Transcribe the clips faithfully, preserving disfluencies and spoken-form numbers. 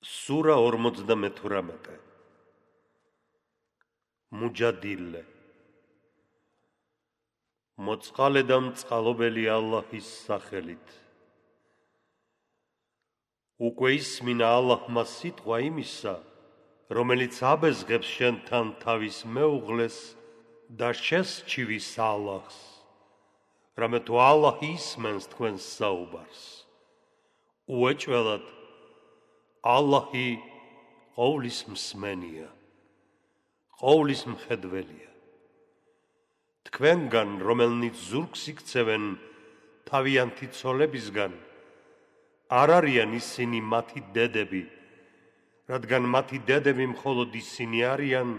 Სურა ორმოცდამეთვრამეტე მუჯადილე მოწყალე და მწყალობელი ალლაჰის სახელით. უკვე ისმინა ალლაჰმა სიტყვა იმისა, რომელიც აბეზღებს შენთან თავის მეუღლეს და შესჩივის ალლაჰს, რამე თუ ალლაჰი ისმენს თქვენს საუბარს. უეჭველად ალლაჰი ყოვლის მსმენია, ყოვლის მხედველია. თქვენგან, რომელნიც ზურგს იქცევენ თავიანთი ცოლებისგან, არ არიან ისინი მათი დედები, რადგან მათი დედები მხოლოდ ისინი არიან,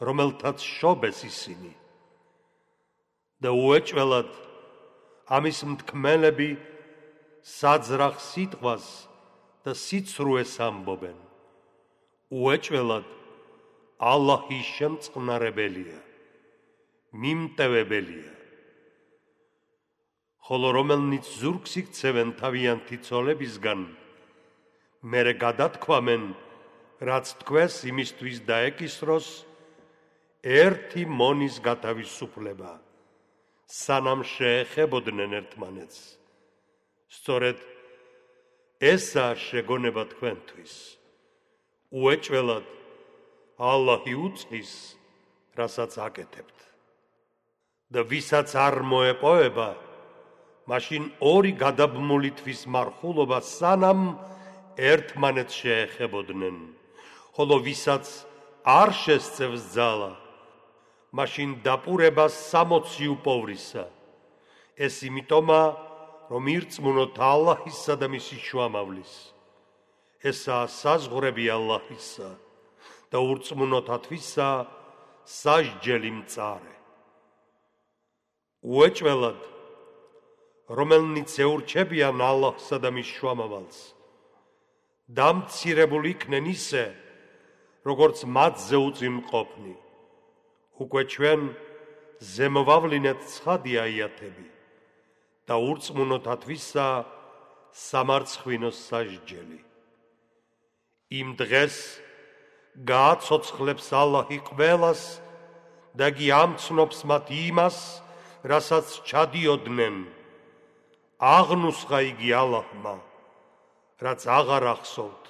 რომელთაც შობეს ისინი. და უეჭველად ამის მთქმელები საძრახ სიტყვას და სიცრუეს ამბობენ. უეჭველად ალლაჰი შემწყნარებელია, მიმტევებელია. ხოლო რომელნიც ზურგს იქცევენ თავიანთი ცოლებისგან, მერე გადათქვამენ, რაც თქვეს იმისთვის დაეკისროს, ერთი მონის გათავისუფლება, სანამ შეეხებოდნენ ერთმანეთს. სწორედ ესაა შეგონება თქვენთვის. უეჭველად ალლაჰი უწყის, რასაც აკეთებთ. და ვისაც არ მოეპოვება, მაშინ ორი გადაბმული თვის მარხულობა, სანამ ერთმანეთს შეეხებოდნენ. ხოლო ვისაც არ შესწევს ძალა, მაშინ დაპურება სამოცი უპოვრისა. ეს იმიტომა, რომ ირწმუნოთ ალლაჰისა და მისი შუამავლის. ესაა საზღვრები ალლაჰისა და ურწმუნოთათვისა სასჯელი მწარე. უეჭველად რომელნიც ეურჩებიან ალლაჰსა და მის შუამავალს, დამცირებული იქნენ ისე, როგორც მათზე უწიმყოფნი. უკვე ჩვენ ზემოვავლინეთ ცხადი აიათები და ურწმუნოთათვისა სამარცხვინოს სასჯელი. იმ დღეს გააცოცხლებს ალლაჰი ყველას და კი ამცნობს მათ იმას, რასაც ჩადიოდნენ. აღნუსხა იგი ალლაჰმა, რაც აღარ ახსოვთ,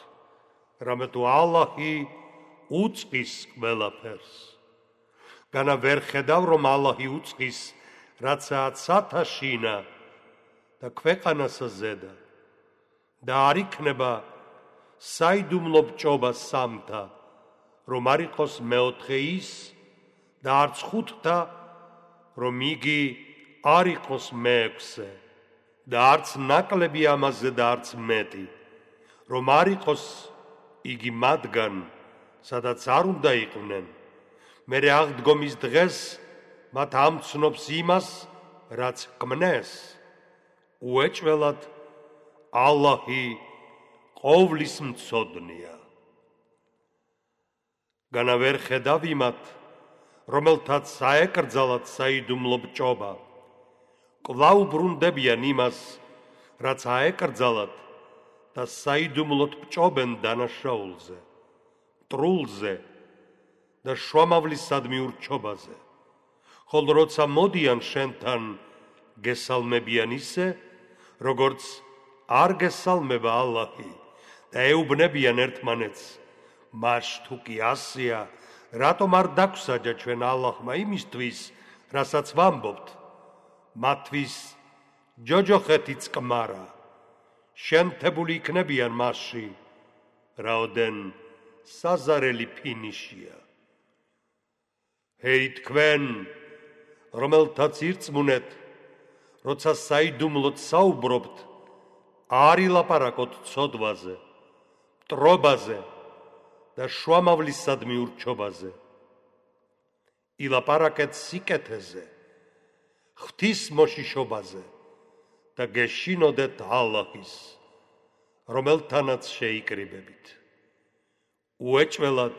რამე თუ ალლაჰი უწყის ყველაფერს. განა ვერ ხედავ, რომ ალლაჰი უწყის, რაცაა ცათაშინა და ქვეყანასა ზედა და არ იქნება საიდუმლო ბჭობა სამთა, რომ არ იყოს მეოთხე ის და არც ხუთთა, რომ იგი არ იყოს მეექვსე და არც ნაკლები ამაზე და არც მეტი, რომ არ იყოს იგი მათგან, სადაც არ უნდა იყვნენ. მერე აღდგომის დღეს მათ ამცნობს იმას, რაც ქმნეს. უეჭველად ალლაჰი ყოვლის მცოდნია. განა ვერ ხედავ იმათ, რომელთაც საეკრძალათ საიდუმლო ბჭობა, კვლავ ბრუნდებიან იმას, რაც აეკრძალათ და საიდუმლოდ ბჭობენ დანაშაულზე, მტრულზე და შუამავლისადმი ურჩობაზე. ხოლო როცა მოდიან შენთან, გესალმებიან ისე, როგორც არ გესალმება ალლაჰი და ეუბნებიან ერთმანეთს. მაშ თუ კი ასეა, რატომ არ დაგვსაჯა ჩვენ ალლაჰმა იმისთვის, რასაც ვამბობთ? მათთვის ჯოჯოხეთი წყმარა, შემთებული იქნებიან მასში, რაოდენ საზარელი ფინიშია. ჰეი თქვენ, რომელთაც ირწმუნეთ, როცა საიდუმლოდ საუბრობთ, არ ილაპარაკოთ ცოდვაზე, მტრობაზე და შუამავლისადმი ურჩობაზე. ილაპარაკეთ სიკეთეზე, ღვთისმოშიშობაზე და გეშინოდეთ ალლაჰის, რომელთანაც შეიკრიბებით. უეჭველად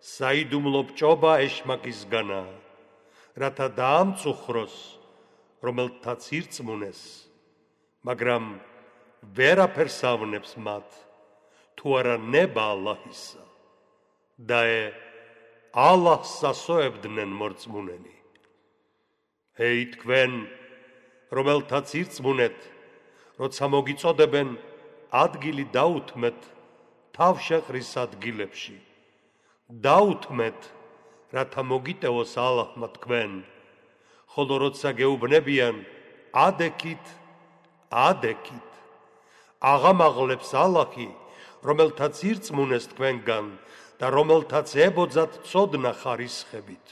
საიდუმლო ბჭობა ეშმაკისგანაა, რათა დაამწუხროს, რომელთაც ირწმუნეს, მაგრამ ვერაფერს ავნებს მათ, თუ არა ნება ალლაჰისა და ალლაჰს ასოებდნენ მორწმუნენი. ჰეი თქვენ, რომელთაც ირწმუნეთ, როცა მოგიწოდებენ ადგილი დაუთმეთ თავშეყრის ადგილებში. დაუთმეთ, რათა მოგიტევოს ალლაჰმა თქვენ, ხოლო როცა გეუბნებიან ადექით, ადექით. აღამაღლებს ალლაჰი, რომელთაც ირწმუნეს თქვენგან და რომელთაც ებოძათ ცოდნა ხარისხებით.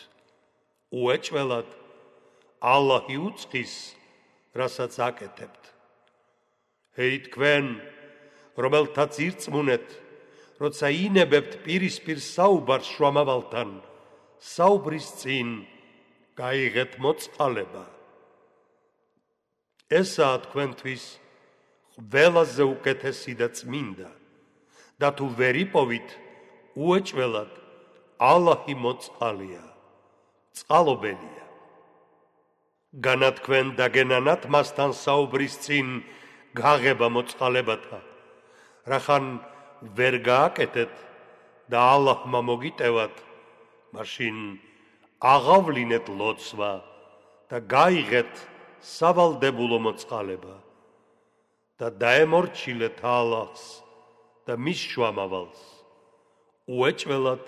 უეჭველად, ალლაჰი უწყის, რასაც აკეთებთ. ჰეი თქვენ, რომელთაც ირწმუნეთ, როცა ინებებთ პირისპირ საუბარს შუამავალთან, საუბრის წინ გაიღეთ მოწყალება. ესაა თქვენთვის ყველაზე უკეთესი და წმინდა და თუ ვერ იპოვით, უეჭველად, ალლაჰი მოწყალია, წყალობელია. განა თქვენ დაგენანათ მასთან საუბრის წინ გაღება მოწყალებათა, რახან ვერ გააკეთეთ და ალლაჰმა მოგიტევათ, მაშინ აღავლინეთ ლოცვა და გაიღეთ სავალდებულო მოწყალება და დაემორჩილეთ ალლაჰს და მის შუამავალს. უეჭველად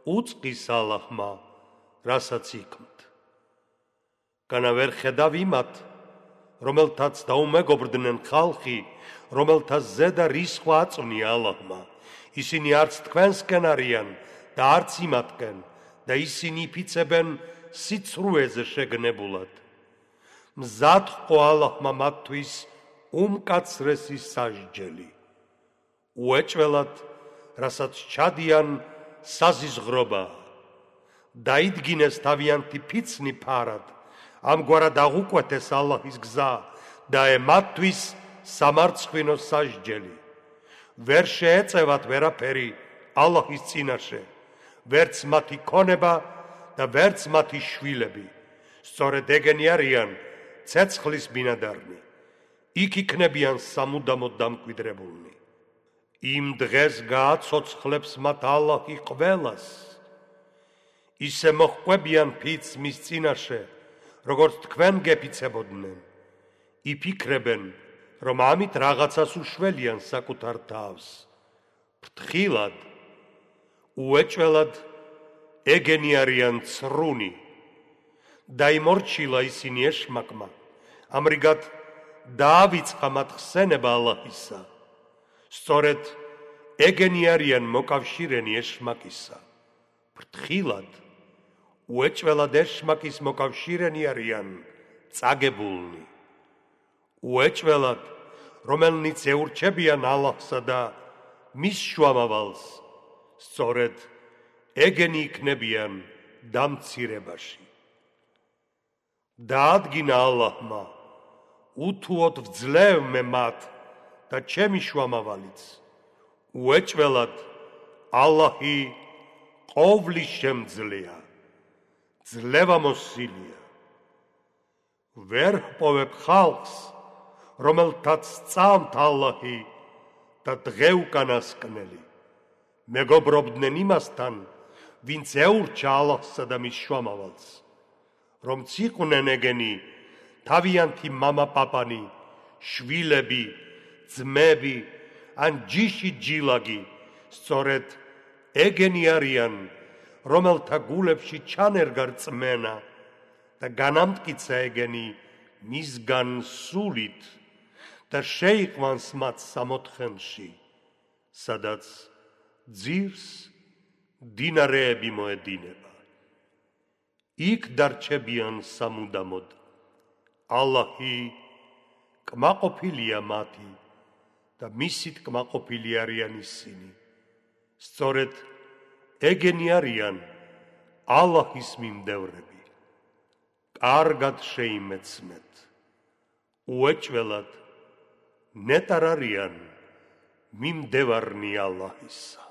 უწყის ალლაჰმა, რასაც იქმთ. განა ვერ ხედავ იმათ, რომელთაც დაუმეგობრდნენ ხალხი, რომელთაც ზედა რისხვა აწვნია ალლაჰმა. ისინი არც თქვენსკენ არიან და არც იმათკენ და ისინი იფიცებენ სიცრუეზე შეგნებულად. მზად ყო ალლაჰმა მათთვის უმკაცრესი სასჯელი. უეჭველად, რასაც ჩადიან საზიზღრობა. დაიდგინეს თავიანთი ფიცნი ფარად, ამგვარად აღუკვეთეს ალლაჰის გზა და მათთვის სამარცხვინო სასჯელი. ვერ შეეწევათ ვერაფერი ალლაჰის წინაშე, ვერც მათი ქონება და ვერც მათი შვილები. სწორედ ეგენი არიან ცეცხლის ბინადარნი. იქ იქნებიან სამუდამოდ დამკვიდრებულნი. იმ დღეს გააცოცხლებს მათ ალლაჰი ყველას. ისე მოჰყვებიან ფიცს მის წინაშე, როგორც თქვენ გეფიცებოდნენ. იფიქრებენ, რომ ამით რაღაცას უშველიან საკუთარ თავს. ფრთხილად, უეჭველად, ეგენი არიან ცრუნი. დაიმორჩილა ისინი ეშმაკმა, ამრიგად დაავიწყა მათ ხსენება ალლაჰისა. სწორედ ეგენი არიან მოკავშირენი ეშმაკისა. ფრთხილად, უეჭველად ეშმაკის მოკავშირენი არიან წაგებულნი. უეჭველად, რომელნიც ეურჩებიან ალლაჰსა და მის შუამავალს, სწორედ ეგენი იქნებიან დამცირებაში. დაადგინა ალლაჰმა, უთუოდ ვძლევ მე მათ და ჩემი შუამავალიც. უეჭველად, ალლაჰი ყოვლის შემძლეა, ძლევამოსილია. ვერ ჰპოვებ ხალხს, რომელთაც სწამთ ალლაჰი და დღეუკანასკნელი. მეგობრობდნენ იმასთან, ვინც ეურჩა ალლაჰსა და მის შუამავალს, რომ ციყვნენ ეგენი თავიანთი მამა-პაპანი, შვილები, ძმები, ან ჯიში ჯილაგი, სწორედ ეგენი არიან, რომელთა გულებში ჩანერგა რწმენა და განამტკიცა ეგენი მისგან სულით და შეიყვანს მათ სამოთხენში, სადაც ძირს დინარეები მოედინება. იქ დარჩებიან სამუდამოდ. ალლაჰი კმაყოფილია მათი და მისით კმაყოფილი არიან ისინი. სწორედ ეგენი არიან ალლაჰის მიმდევრები. კარგად შეიმეცნეთ. უეჭველად, ნეტარ არიან მიმდევარნი ალლაჰისა.